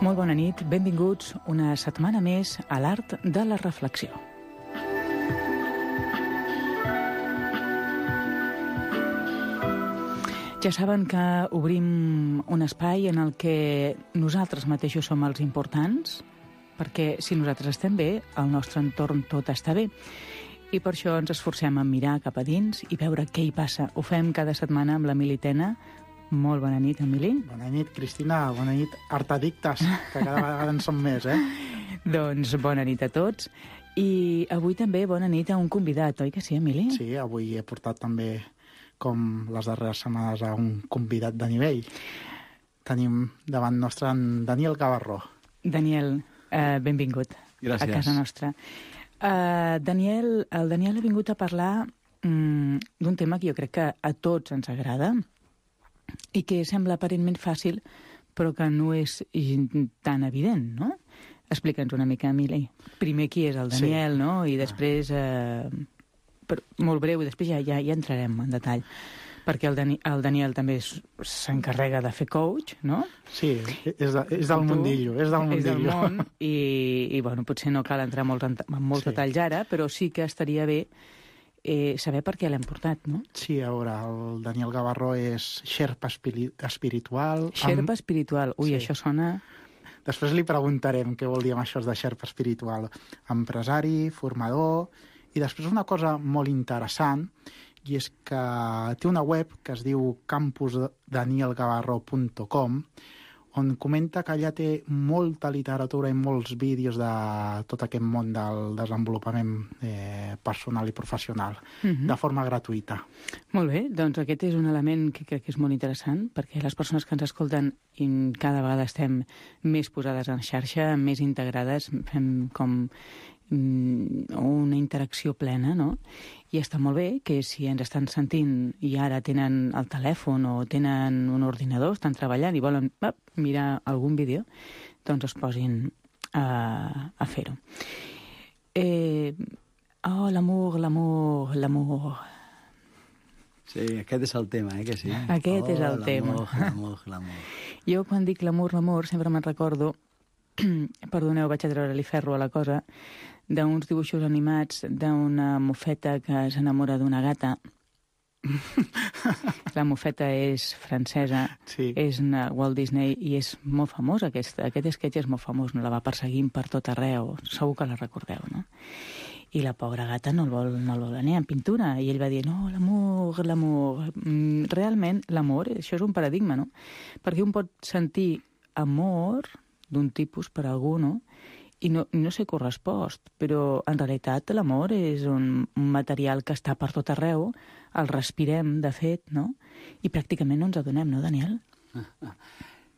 Molt bona nit, benvinguts una setmana més a l'Art de la Reflexió. Ja saben que obrim un espai en el que nosaltres mateixos som els importants, perquè si nosaltres estem bé, al nostre entorn tot està bé. I per això ens esforcem a mirar cap a dins i veure què hi passa. Ho fem cada setmana amb l'Emili Tena. Molt bona nit, Emili. Bona nit, Cristina. Bona nit, artadictes, que cada vegada en som més, eh? Doncs bona nit a tots. I avui també bona nit a un convidat, oi que sí, Emili? Sí, avui he portat també, com les darreres setmanes, a un convidat de nivell. Tenim davant nostre en Daniel Gavarró. Daniel, benvingut. Gràcies. A casa nostra. El Daniel ha vingut a parlar d'un tema que jo crec que a tots ens agrada i que sembla aparentment fàcil, però que no és tan evident, no? Explica'ns una mica, Emili. Primer qui és el Daniel, sí, no? I després, molt breu, i després ja entrarem en detall. Perquè el Daniel també s'encarrega de fer coach, no? Sí, és del mundillo, és del mundillo. És del món, i bueno, potser no cal entrar en molts detalls ara, però sí que estaria bé saber per què l'hem portat, no? Sí, a veure, el Daniel Gavarró és xerpa espiritual. Xerpa espiritual, ui, sí. Això sona... Després li preguntarem què vol dir amb això de xerpa espiritual. Empresari, formador, i després una cosa molt interessant, i és que té una web que es diu campusdanielgavarro.com, on comenta que allà té molta literatura i molts vídeos de tot aquest món del desenvolupament personal i professional, de forma gratuïta. Molt bé, doncs aquest és un element que crec que és molt interessant, perquè les persones que ens escolten cada vegada estem més posades en xarxa, més integrades, fem com una interacció plena, no? I està molt bé que si ens estan sentint i ara tenen el telèfon o tenen un ordinador, estan treballant i volen mirar algun vídeo, doncs es posin a fer-ho. L'amor. Sí, aquest és el tema, que sí? Aquest és el tema. L'amor. Jo quan dic l'amor, sempre me'n recordo, perdoneu, vaig a treure-li ferro a la cosa, d'uns dibuixos animats d'una mofeta que s'enamora d'una gata. La mofeta és francesa, sí. És una Walt Disney i és molt famós, aquest sketch és molt famós, no la va perseguint per tot arreu, segur que la recordeu, no? I la pobra gata no el vol anar en pintura, i ell va dir, no, l'amor. Realment, l'amor, això és un paradigma, no? Perquè un pot sentir amor d'un tipus per algú, no? I no ser correspost, però en realitat l'amor és un material que està per tot arreu, el respirem, de fet, no? I pràcticament no ens adonem, no, Daniel?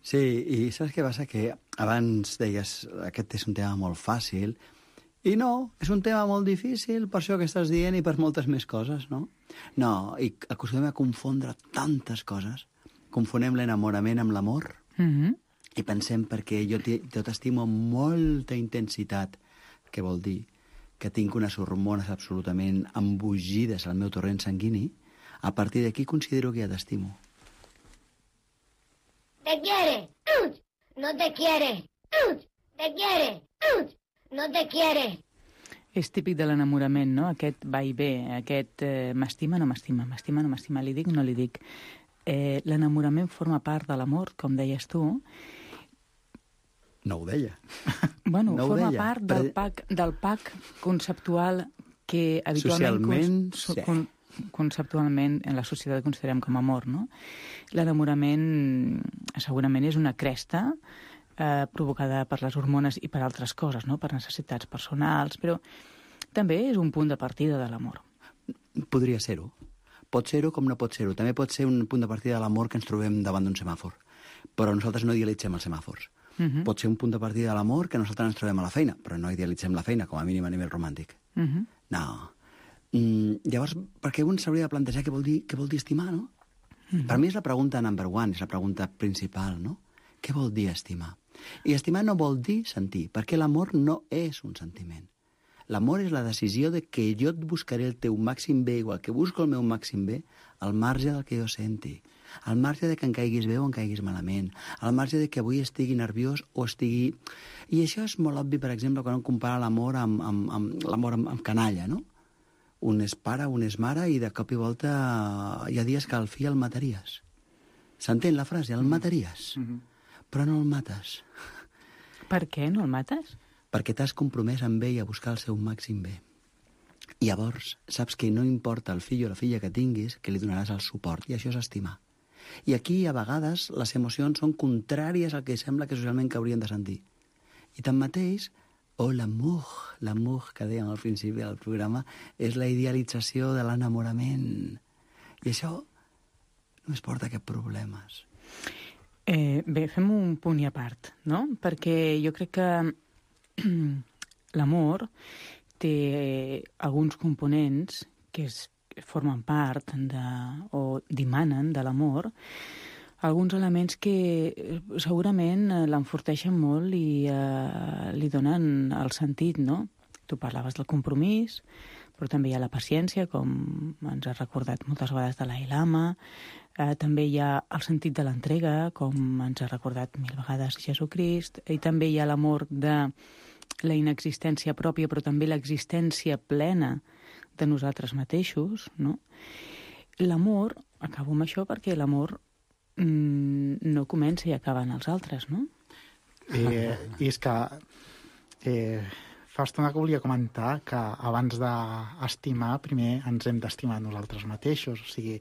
Sí, i saps què passa? Que abans deies, aquest és un tema molt fàcil, i no, és un tema molt difícil, per això que estàs dient, i per moltes més coses, no? No, i acostumem a confondre tantes coses. Confonem l'enamorament amb l'amor, i pensem, perquè jo t'estimo amb molta intensitat, que vol dir que tinc unes hormones absolutament embogides al meu torrent sanguini, a partir d'aquí considero que ja t'estimo. Te quiere, no te quiere, te quiere, no te quiere. És típic de l'enamorament, no? Aquest va i ve, aquest m'estima, no m'estima, m'estima, no m'estima, li dic, no li dic. L'enamorament forma part de l'amor, com deies tu. No ho deia. Bueno, no forma part del pack conceptual que habitualment... Socialment, conceptualment en la societat considerem com amor, no? L'enamorament segurament és una cresta provocada per les hormones i per altres coses, no? Per necessitats personals, però també és un punt de partida de l'amor. Podria ser-ho. Pot ser-ho com no pot ser-ho. També pot ser un punt de partida de l'amor que ens trobem davant d'un semàfor. Però nosaltres no idealitzem els semàfors. Pot ser un punt de partida de l'amor que nosaltres ens trobem a la feina, però no idealitzem la feina, com a mínim a nivell romàntic. No. Llavors, per què un s'hauria de plantejar què vol dir estimar, no? Per mi és la pregunta number one, és la pregunta principal, no? Què vol dir estimar? I estimar no vol dir sentir, perquè l'amor no és un sentiment. L'amor és la decisió de que jo et buscaré el teu màxim bé, igual que busco el meu màxim bé, al marge del que jo senti, al marge de que em caiguis bé o em caiguis malament, al marge de que avui estigui nerviós o estigui... I això és molt obvi, per exemple, quan un compara l'amor amb canalla, no? Un és pare, un és mare, i de cop i volta hi ha dies que al fill el mataries. S'entén la frase? El mataries. Però no el mates. Per què no el mates? Perquè t'has compromès amb ell a buscar el seu màxim bé. I llavors saps que no importa el fill o la filla que tinguis, que li donaràs el suport, i això és estimar. I aquí, a vegades, les emocions són contràries al que sembla que socialment que haurien de sentir. I tanmateix, l'amour que dèiem al principi del programa, és la idealització de l'enamorament. I això no es porta a cap problemes. Bé, fem un punt i a part, no? Perquè jo crec que l'amor té alguns components que formen part o dimanen de l'amor, alguns elements que segurament l'enforteixen molt i li donen el sentit, no? Tu parlaves del compromís, però també hi ha la paciència, com ens ha recordat moltes vegades Dalai Lama. També hi ha el sentit de l'entrega, com ens ha recordat 1000 vegades Jesucrist. I també hi ha l'amor de la inexistència pròpia, però també l'existència plena de nosaltres mateixos, no? L'amor, acabo amb això perquè l'amor no comença i acaba en els altres, no? I és que fa estona que volia comentar que abans d'estimar, primer ens hem d'estimar nosaltres mateixos. O sigui,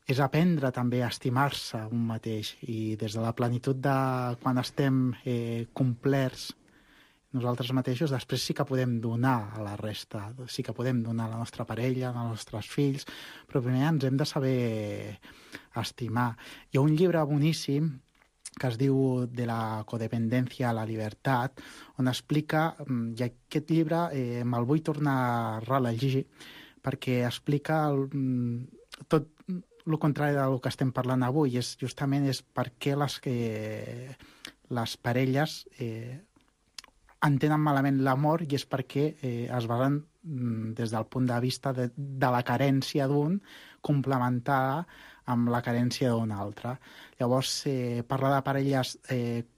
és aprendre també a estimar-se un mateix. I des de la plenitud de quan estem complerts nosaltres mateixos, després sí que podem donar a la resta, sí que podem donar a la nostra parella, als nostres fills, però primer ens hem de saber estimar. Hi ha un llibre boníssim que es diu De la codependència a la llibertat, on explica, i aquest llibre me'l vull tornar a rellegir, perquè explica tot el contrari del que estem parlant avui, justament és per què les parelles entenen malament l'amor, i és perquè es basen des del punt de vista de la carència d'un complementada amb la carència d'un altre. Llavors, parla de parelles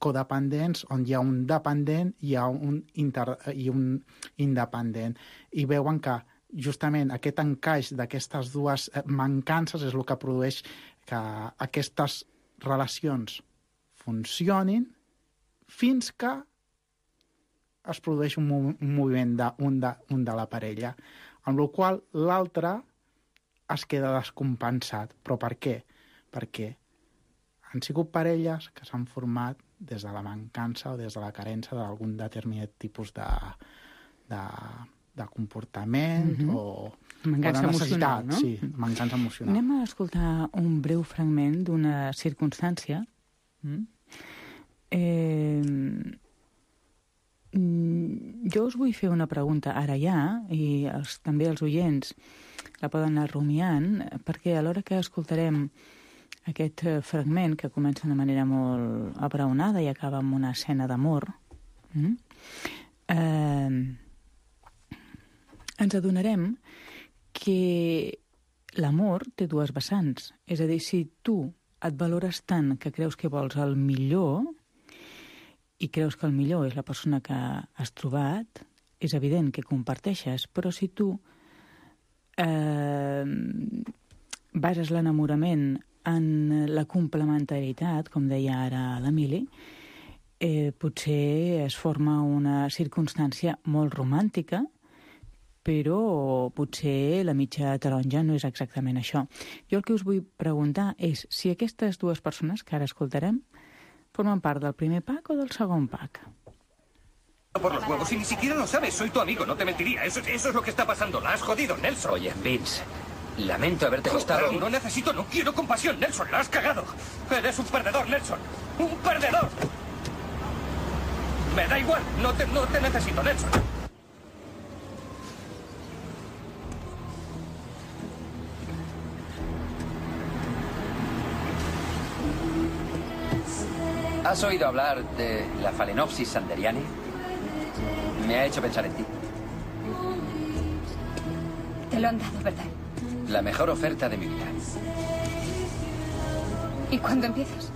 codependents on hi ha un dependent i un independent. I veuen que justament aquest encaix d'aquestes dues mancances és el que produeix que aquestes relacions funcionin fins que es produeix un moviment d'un de la parella, amb la qual l'altre es queda descompensat. Però per què? Perquè han sigut parelles que s'han format des de la mancança o des de la carència d'algun determinat tipus de comportament o mancança de necessitat. emocional, no? Sí, mancança emocional. Anem a escoltar un breu fragment d'una circumstància. Jo us vull fer una pregunta ara ja, i també els oients la poden anar rumiant, perquè a l'hora que escoltarem aquest fragment, que comença de manera molt abraonada i acaba amb una escena d'amor, ens adonarem que l'amor té dues vessants. És a dir, si tu et valores tant que creus que vols el millor i creus que el millor és la persona que has trobat, és evident que comparteixes, però si tu bases l'enamorament en la complementarietat, com deia ara l'Emili, potser es forma una circumstància molt romàntica, però potser la mitja taronja no és exactament això. Jo el que us vull preguntar és si aquestes dues persones que ara escoltarem forman part del primer pack o del segon pack. Por los huevos y ni siquiera lo sabes, soy tu amigo, no te mentiría. Eso es lo que está pasando, la has jodido, Nelson. Oye, Vince, lamento haberte costado... No necesito, no quiero compasión, Nelson, la has cagado. Eres un perdedor, Nelson, un perdedor. Me da igual, no te necesito, Nelson. ¿Has oído hablar de la Phalaenopsis sanderiani? Me ha hecho pensar en ti. Te lo han dado, ¿verdad? La mejor oferta de mi vida. ¿Y cuándo empiezas?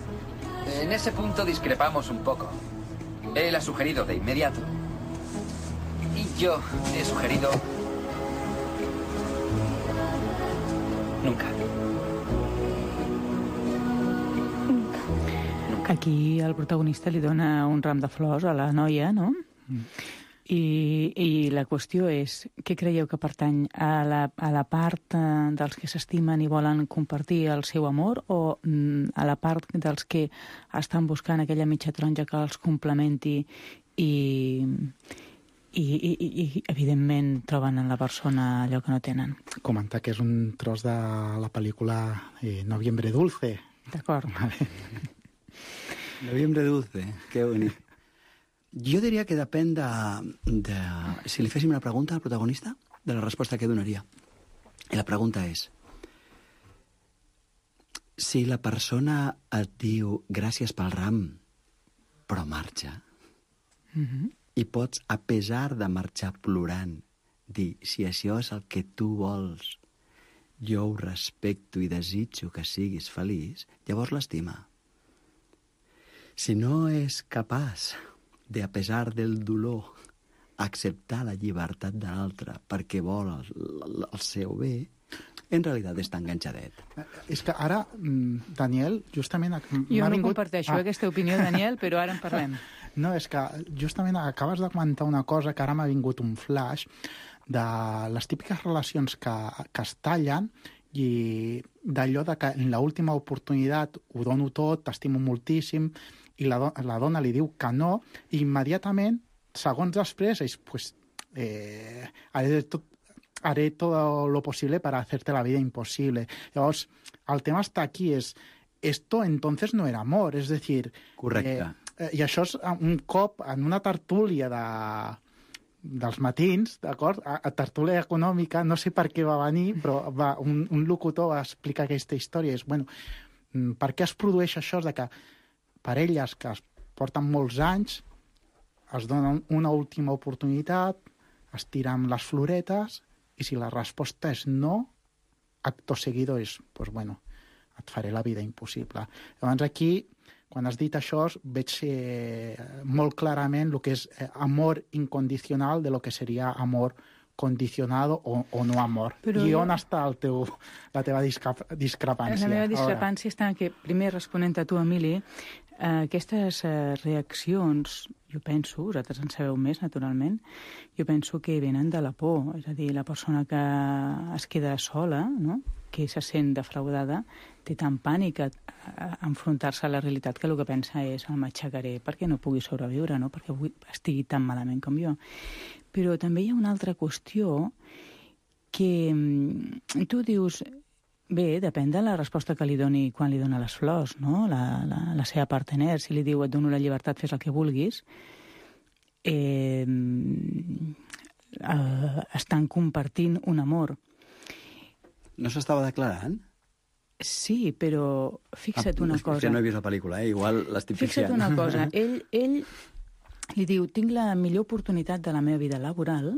En ese punto discrepamos un poco. Él ha sugerido de inmediato. Y yo he sugerido... Nunca. Aquí el protagonista li dona un ram de flors a la noia, no? I la qüestió és, què creieu que pertany a la part dels que s'estimen i volen compartir el seu amor o a la part dels que estan buscant aquella mitja taronja que els complementi i evidentment troben en la persona allò que no tenen? Comentar que és un tros de la pel·lícula Noviembre Dulce. D'acord. Noviembre Dulce, que bonic. Jo diria que depèn de... Si li féssim una pregunta al protagonista, de la resposta que donaria. I la pregunta és... Si la persona et diu gràcies pel ram, però marxa, i pots, a pesar de marxar plorant, dir, si això és el que tu vols, jo ho respecto i desitjo que siguis feliç, llavors l'estima. Si no és capaç de, a pesar del dolor, acceptar la llibertat de l'altre perquè vol el seu bé, en realitat està enganxadet. És que ara, Daniel, justament... Jo no comparteixo aquesta opinió, Daniel, però ara en parlem. No, és que justament acabes de comentar una cosa que ara m'ha vingut un flash de les típiques relacions que es tallen i d'allò de que en l'última oportunitat ho dono tot, t'estimo moltíssim, i la dona li diu que no, i immediatament, segons després, és, pues, haré todo lo posible para hacerte la vida imposible. Llavors, el tema està aquí, esto entonces no era amor, és decir... Correcte. I això és un cop en una tertúlia dels matins, d'acord? A tertúlia econòmica, no sé per què va venir, però un locutor va explicar aquesta història. És, bueno, per què es produeix això de que parelles que es porten molts anys es donen una última oportunitat, es tiren les floretes, i si la resposta és no, acto seguido és, pues bueno, et faré la vida impossible. Llavors aquí, quan has dit això, veig molt clarament el que és amor incondicional de lo que seria amor condicionado o no amor. Però I on està la teva discrepància? La meva discrepància està en que, primer, responent a tu, Emili, aquestes reaccions, jo penso, vosaltres en sabeu més, naturalment, jo penso que venen de la por, és a dir, la persona que es queda sola, no?, que se sent defraudada, té tant pànic a enfrontar-se a la realitat que el que pensa és el m'aixecaré perquè no pugui sobreviure, no?, perquè estigui tan malament com jo. Però també hi ha una altra qüestió que tu dius, bé, depèn de la resposta que li doni quan li dona les flors, no?, la seva partener. Si li diu et dono la llibertat, fes el que vulguis, estan compartint un amor. No s'estava declarant? Sí, però fixa't una cosa. Ja no he vist la pel·lícula, igual l'estic fixiant. Fixa't una cosa. Ell li diu, tinc la millor oportunitat de la meva vida laboral,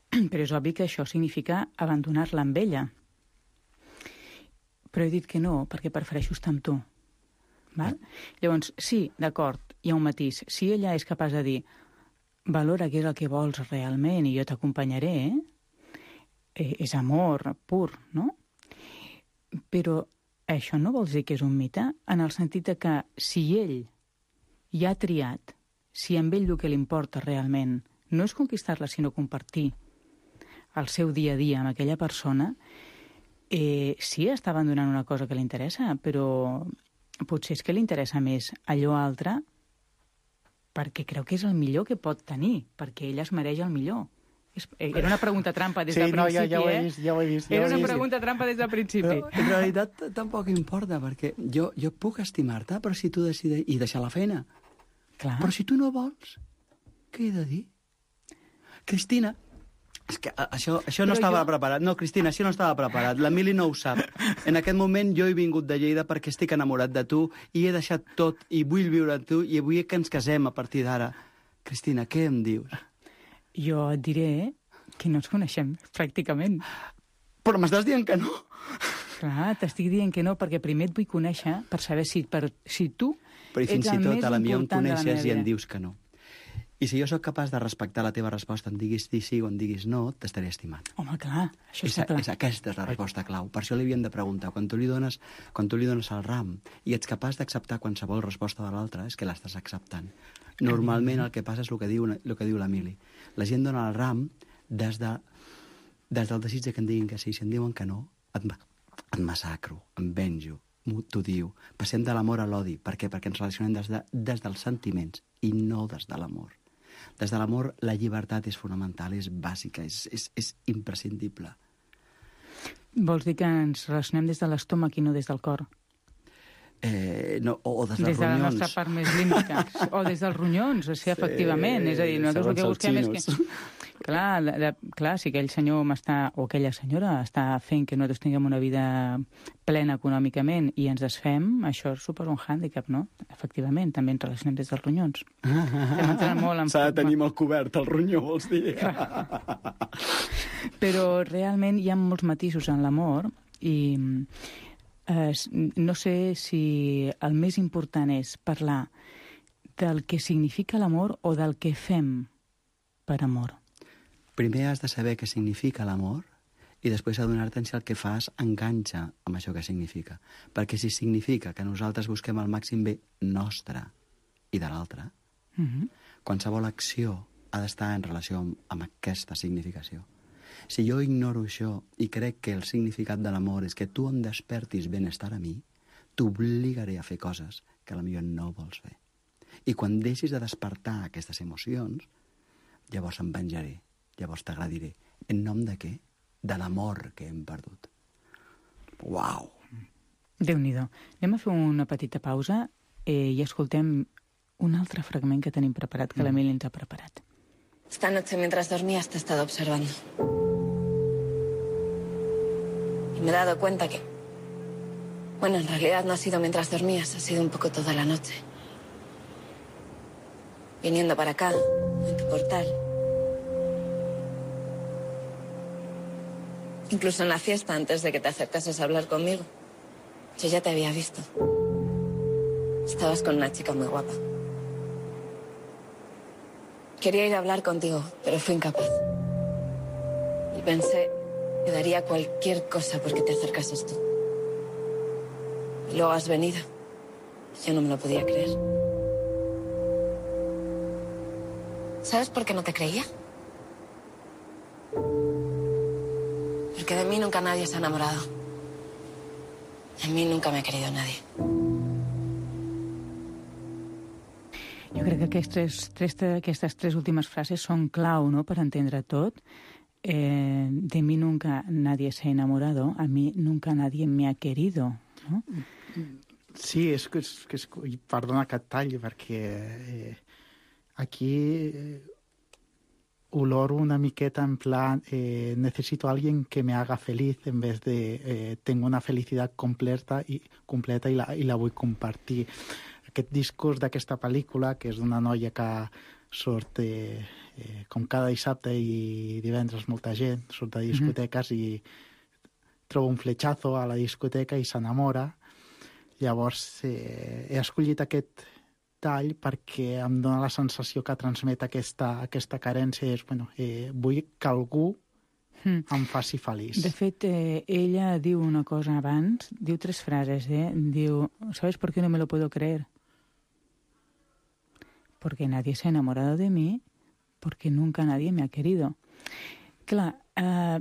però és obvi que això significa abandonar-la amb ella. Però he dit que no, perquè prefereixo estar amb tu. Val? Llavors, sí, d'acord, hi ha un matís. Si ella és capaç de dir, valora què és el que vols realment i jo t'acompanyaré, és amor pur, no? Però això no vol dir que és un mite, en el sentit que si ell ja ha triat, si amb ell el que li importa realment no és conquistar-la, sinó compartir el seu dia a dia amb aquella persona, sí, està abandonant una cosa que li interessa, però potser és que li interessa més allò altre perquè creu que és el millor que pot tenir, perquè ella es mereix el millor. Era una pregunta trampa des del principi, ja ho he vist. Era una pregunta trampa des del principi. Però en realitat tampoc importa, perquè jo puc estimar-te, però si tu decideixes... I deixar la feina. Clar. Però si tu no vols, què he de dir? Cristina, és que això no estava preparat. No, Cristina, això no estava preparat. L'Emili no ho sap. En aquest moment jo he vingut de Lleida perquè estic enamorat de tu i he deixat tot i vull viure amb tu i vull que ens casem a partir d'ara. Cristina, què em dius? Jo et diré que no ens coneixem, pràcticament. Però m'estàs dient que no? Clar, t'estic dient que no, perquè primer et vull conèixer per saber si tu però ets el més important de la meva vida. Però fins i tot a la mi em coneixes i em dius que no. I si jo sóc capaç de respectar la teva resposta, em diguis sí o em diguis no, t'estaré estimant. Home, clar, això està clar. Aquesta és la resposta clau. Per això li havien de preguntar. Quan tu li dones el ram i ets capaç d'acceptar qualsevol resposta de l'altre, és que l'estàs acceptant. Normalment el que passa és el que diu l'Emili. La gent dona el ram des del desig que em diguin que sí. Si em diuen que no, et massacro, em venjo, t'ho diu. Passem de l'amor a l'odi. Per què? Perquè ens relacionem des dels sentiments i no des de l'amor. Des de l'amor, la llibertat és fonamental, és bàsica, és imprescindible. Vols dir que ens relacionem des de l'estómac i no des del cor? No, o des dels ronyons. Des de la nostra part més límita. O des dels ronyons, sí, efectivament. És a dir, nosaltres el que busquem és que... Clar, si aquell senyor o aquella senyora està fent que nosaltres tinguem una vida plena econòmicament i ens desfem, això suposa un hàndicap, no? Efectivament, també ens relacionem des dels ronyons. S'ha de tenir molt cobert el ronyó, vols dir? Però realment hi ha molts matisos en l'amor i no sé si el més important és parlar del que significa l'amor o del que fem per amor. Primer has de saber què significa l'amor i després adonar-te'n si el que fas enganxa amb això que significa. Perquè si significa que nosaltres busquem el màxim bé nostre i de l'altre, qualsevol acció ha d'estar en relació amb aquesta significació. Si jo ignoro això i crec que el significat de l'amor és que tu em despertis benestar a mi, t'obligaré a fer coses que potser no vols fer. I quan deixis de despertar aquestes emocions, llavors em venjaré. Llavors t'agradiré. En nom de què? De l'amor que hem perdut. Uau! Déu-n'hi-do. Anem a fer una petita pausa i escoltem un altre fragment que tenim preparat, que l'Emili ens ha preparat. Esta noche, mientras dormías, te he estado observando. Y me he dado cuenta que... Bueno, en realidad no ha sido mientras dormías, ha sido un poco toda la noche. Viniendo para acá, en tu portal. Incluso en la fiesta, antes de que te acercases a hablar conmigo. Yo ya te había visto. Estabas con una chica muy guapa. Quería ir a hablar contigo, pero fui incapaz. Y pensé que daría cualquier cosa porque te acercases tú. Y luego has venido. Yo no me lo podía creer. ¿Sabes por qué no te creía? Porque de mí nunca nadie se ha enamorado. De mí nunca me ha querido nadie. Jo crec que aquestes tres últimes frases són clau, no?, per entendre tot. De mi nunca nadie se ha enamorado, a mi nunca nadie me ha querido, no? Sí, és perdona que et talli, perquè aquí oloro una miqueta en plan necesito a alguien que me haga feliz en vez de tengo una felicidad completa i la vull compartir. Aquest discurs d'aquesta pel·lícula, que és d'una noia que surt com cada dissabte i divendres molta gent, surt de discoteques i troba un fletxazo a la discoteca i s'enamora. Llavors he escollit aquest tall perquè em dona la sensació que transmet aquesta carència. És, vull que algú em faci feliç. De fet, ella diu una cosa abans, diu tres frases, diu, ¿sabes por qué no me lo puedo creer? Porque nadie se ha enamorado de mí, porque nunca nadie me ha querido. Clar,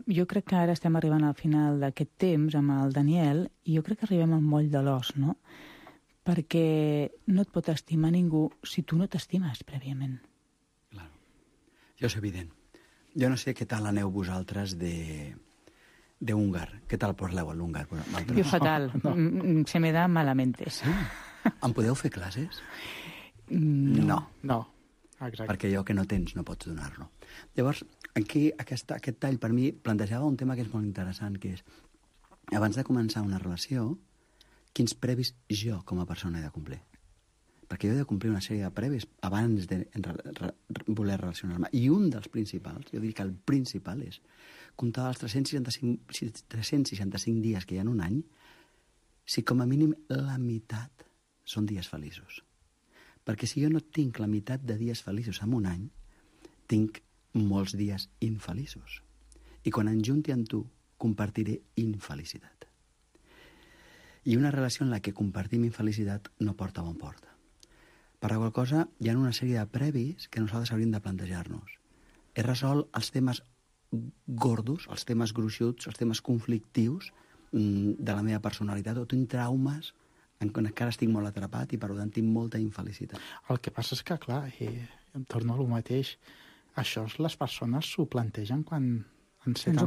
jo crec que ara estem arribant al final d'aquest temps amb el Daniel i jo crec que arribem al moll de l'os, no? Perquè no et pot estimar ningú si tu no t'estimes prèviament. Claro. Això és evident. Jo no sé què tal aneu vosaltres de húngar. Què tal parleu a l'húngar? Jo fatal. No. Se me da malamente. Em podeu fer classes? No. Exacte. Perquè allò que no tens no pots donar-lo. Llavors, aquí aquest tall per mi plantejava un tema que és molt interessant, que és, abans de començar una relació, quins previs jo com a persona he de complir. perquè jo he de complir una sèrie de previs abans de voler relacionar-me. I un dels principals, jo diria que el principal és comptar els 365 dies que hi ha en un any, si com a mínim la meitat són dies feliços. Perquè si jo no tinc la meitat de dies feliços en un any, tinc molts dies infeliços. I quan em junti amb tu, compartiré infelicitat. I una relació en la que compartim infelicitat no porta a bon port. Per la qual cosa, hi ha una sèrie de previs que nosaltres hauríem de plantejar-nos. He resolt els temes gordos, els temes gruixuts, els temes conflictius de la meva personalitat, o tinc traumes en què encara estic molt atrapat i per tant tinc molta infelicitat. El que passa és que, clar, em torno a lo mateix, això les persones s'ho plantegen quan ens ho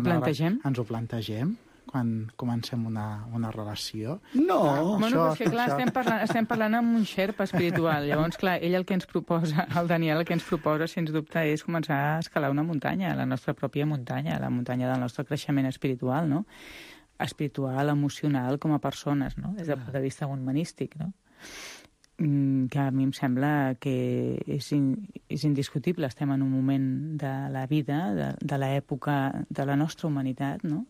plantegem quan comencem una relació. No! Bueno, però és que, clar, estem parlant amb un xerpa espiritual. Llavors, clar, ell el que ens proposa, el Daniel el que ens proposa, sens dubte, és començar a escalar una muntanya, la nostra pròpia muntanya, la muntanya del nostre creixement espiritual, no? Espiritual, emocional, com a persones, no? Des del punt de vista humanístic, no? Que a mi em sembla que és indiscutible. Estem en un moment de la vida, de l'època de la nostra humanitat, no?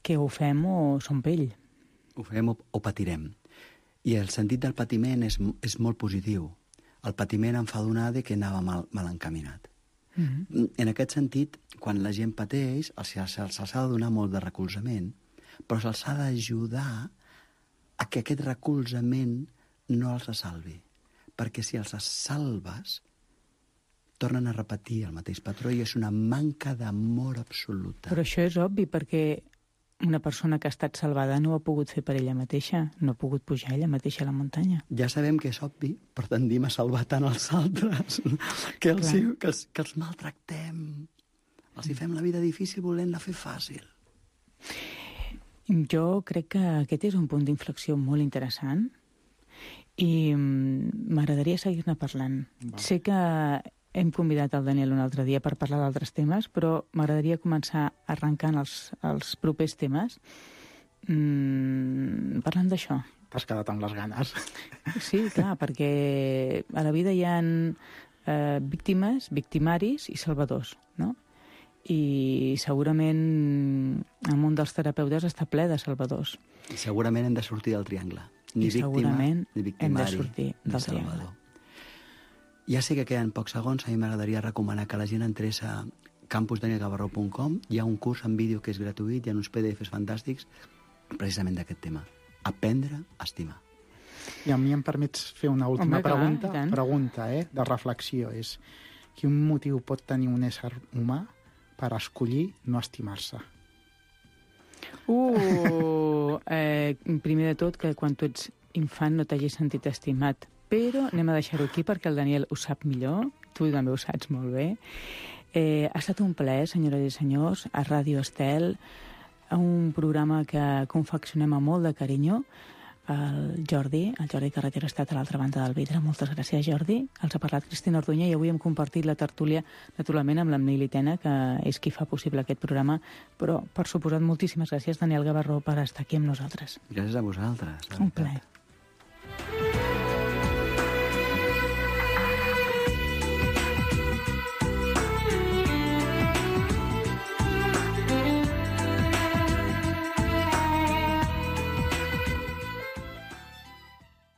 Que ho fem o som pell. Ho fem o patirem. I el sentit del patiment és molt positiu. El patiment em fa adonar que anava mal encaminat. En aquest sentit, quan la gent pateix, se'ls ha de donar molt de recolzament, però se'ls ha d'ajudar a que aquest recolzament no els salvi. Perquè si els salves, tornen a repetir el mateix patró i és una manca d'amor absoluta. Però això és obvi, perquè una persona que ha estat salvada no ho ha pogut fer per ella mateixa, no ha pogut pujar ella mateixa a la muntanya. Ja sabem que és obvi, però tendim a salvar tant els altres que els maltractem. Els hi fem la vida difícil volent-la fer fàcil. Jo crec que aquest és un punt d'inflexió molt interessant i m'agradaria seguir-ne parlant. Sé que hem convidat el Daniel un altre dia per parlar d'altres temes, però m'agradaria començar arrencant els propers temes parlant d'això. T'has quedat amb les ganes. Sí, clar, perquè a la vida hi ha víctimes, victimaris i salvadors, no? I segurament el món dels terapeutes està ple de salvadors. I segurament hem de sortir del triangle. Ni víctima, ni victimari, hem de sortir del triangle. Ja sé que queden pocs segons, a mi m'agradaria recomanar que la gent entrés a campusdanielgavarró.com. Hi ha un curs en vídeo que és gratuït, hi ha uns PDFs fantàstics precisament d'aquest tema. Aprendre a estimar. I a mi em permets fer una última pregunta de reflexió. És quin motiu pot tenir un ésser humà per escollir no estimar-se? Primer de tot, que quan tu ets infant no t'hagis sentit estimat. Però anem a deixar-ho aquí perquè el Daniel ho sap millor, tu també ho saps molt bé. Ha estat un plaer, senyores i senyors, a Ràdio Estel, un programa que confeccionem amb molt de carinyo. El Jordi Carretero ha estat a l'altra banda del vidre. Moltes gràcies, Jordi. Els ha parlat Cristina Orduña i avui hem compartit la tertúlia, naturalment, amb l'Amnil Itena, que és qui fa possible aquest programa. Però, per suposat, moltíssimes gràcies, Daniel Gavarró, per estar aquí amb nosaltres. Gràcies a vosaltres. Un plaer.